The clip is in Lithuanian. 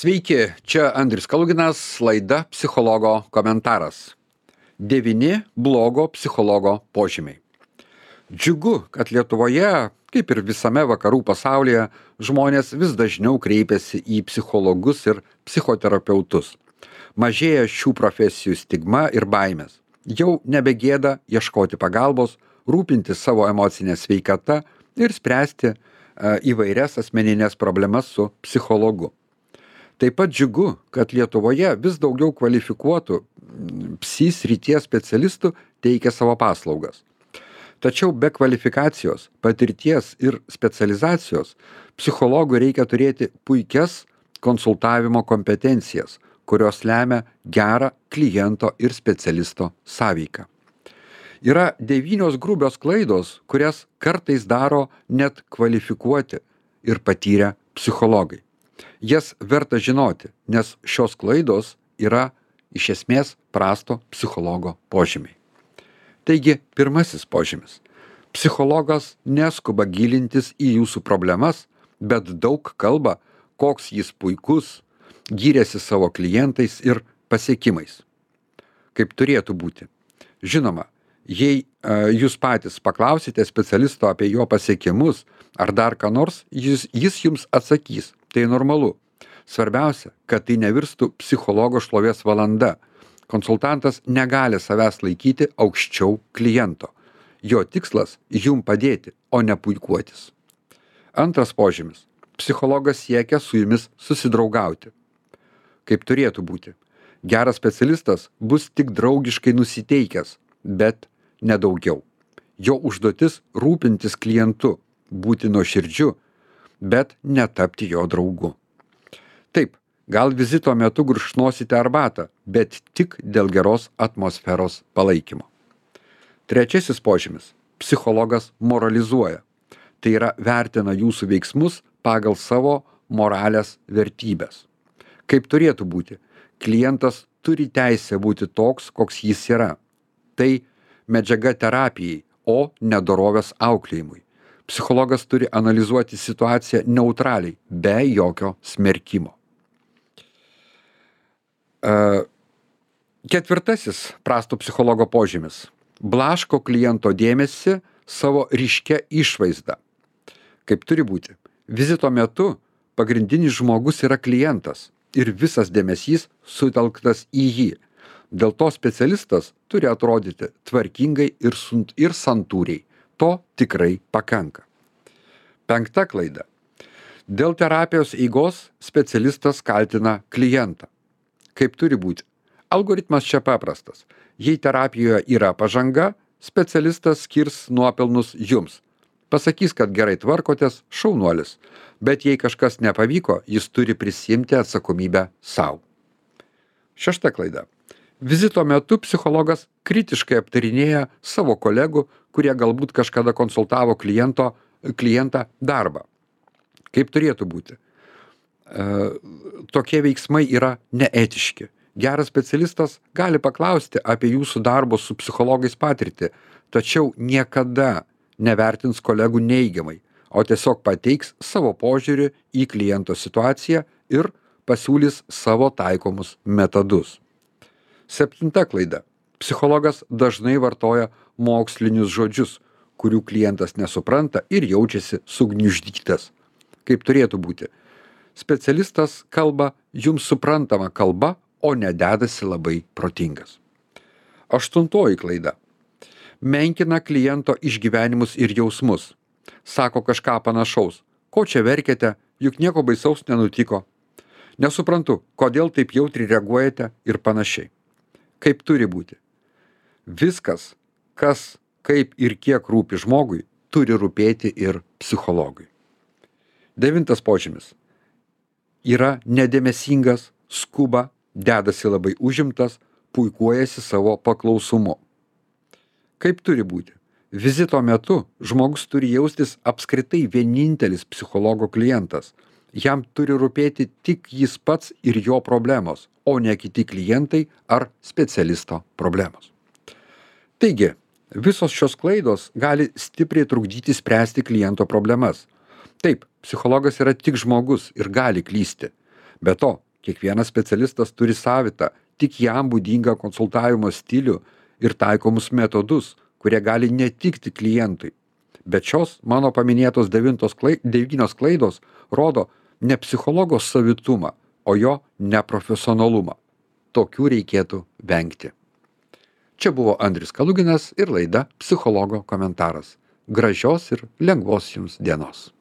Sveiki, čia Andrius Kaluginas, laida Psichologo komentaras. 9 blogo psichologo požymiai. Džiugu, kad Lietuvoje, kaip ir visame vakarų pasaulyje, žmonės vis dažniau kreipiasi į psichologus ir psichoterapeutus. Mažėja šių profesijų stigma ir baimės. Jau nebegėda ieškoti pagalbos, rūpintis savo emocinę sveikatą ir spręsti įvairias asmeninės problemas su psichologu. Taip pat džiugu, kad Lietuvoje vis daugiau kvalifikuotų psi srities specialistų teikia savo paslaugas. Tačiau be kvalifikacijos, patirties ir specializacijos psichologui reikia turėti puikias konsultavimo kompetencijas, kurios lemia gerą kliento ir specialisto sąveiką. Yra 9 grubios klaidos, kurias kartais daro net kvalifikuoti ir patyrę psichologai. Jas verta žinoti, nes šios klaidos yra iš esmės prasto psichologo požymiai. Taigi, pirmasis požymis. Psichologas neskuba gilintis į jūsų problemas, bet daug kalba, koks jis puikus, gyrėsi savo klientais ir pasiekimais. Kaip turėtų būti. Žinoma, jei jūs patys paklausite specialisto apie jo pasiekimus ar dar ką nors, jis jums atsakys. Tai normalu. Svarbiausia, kad tai nevirstų psichologo šlovės valanda. Konsultantas negali savęs laikyti aukščiau kliento. Jo tikslas jum padėti, o ne puikuotis. Antras požymis. Psichologas siekia su jumis susidraugauti. Kaip turėtų būti. Geras specialistas bus tik draugiškai nusiteikęs, bet nedaugiau. Jo užduotis rūpintis klientu, būti nuoširdžiu, bet netapti jo draugu. Taip, gal vizito metu gurkšnosite arbatą, bet tik dėl geros atmosferos palaikymo. Trečiasis požymis. Psichologas moralizuoja. Tai yra vertina jūsų veiksmus pagal savo moralės vertybės. Kaip turėtų būti, klientas turi teisę būti toks, koks jis yra. Tai medžiaga terapijai, o ne dorovės auklėjimui. Psichologas turi analizuoti situaciją neutraliai, be jokio smerkimo. Ketvirtasis prasto psichologo požymis. Blaško kliento dėmesį savo ryškia išvaizda. Kaip turi būti. Vizito metu pagrindinis žmogus yra klientas ir visas dėmesys sutelktas į jį. Dėl to specialistas turi atrodyti tvarkingai ir santūriai. To tikrai pakanka. 5 klaida. Dėl terapijos eigos specialistas kaltina klientą. Kaip turi būti? Algoritmas čia paprastas. Jei terapijoje yra pažanga, specialistas skirs nuopelnus jums. Pasakys, kad gerai tvarkotės, šaunuolis. Bet jei kažkas nepavyko, jis turi prisiimti atsakomybę savo. 6 klaida. Vizito metu psichologas kritiškai aptarinėja savo kolegų, kurie galbūt kažkada konsultavo klientą darbą. Kaip turėtų būti? Tokie veiksmai yra neetiški. Geras specialistas gali paklausti apie jūsų darbo su psichologais patirtį, tačiau niekada nevertins kolegų neigiamai, o tiesiog pateiks savo požiūrį į kliento situaciją ir pasiūlys savo taikomus metodus. 7 klaida. Psichologas dažnai vartoja mokslinius žodžius, kurių klientas nesupranta ir jaučiasi sugniuždytas. Kaip turėtų būti. Specialistas kalba jums suprantama kalba, o ne dedasi labai protingas. 8 klaida. Menkina kliento išgyvenimus ir jausmus. Sako kažką panašaus. Ko čia verkiate, juk nieko baisaus nenutiko. Nesuprantu, kodėl taip jautriai reaguojate ir panašiai. Kaip turi būti. Viskas, kas, kaip ir kiek rūpi žmogui, turi rūpėti ir psichologui. 9 požymis. Yra nedėmesingas, skuba, dedasi labai užimtas, puikuojasi savo paklausumu. Kaip turi būti. Vizito metu žmogus turi jaustis apskritai vienintelis psichologo klientas. Jam turi rūpėti tik jis pats ir jo problemos, o ne kiti klientai ar specialisto problemos. Taigi, visos šios klaidos gali stipriai trukdyti spręsti kliento problemas. Taip, psichologas yra tik žmogus ir gali klysti. Be to, Kiekvienas specialistas turi savitą, tik jam būdingą konsultavimo stilių ir taikomus metodus, kurie gali netikti klientui. Bet šios mano paminėtos 9 klaidos rodo ne psichologo savitumą, o jo neprofesionalumą. Tokių reikėtų vengti. Čia buvo Andrius Kaluginas ir laida Psichologo komentaras. Gražios ir lengvos jums dienos.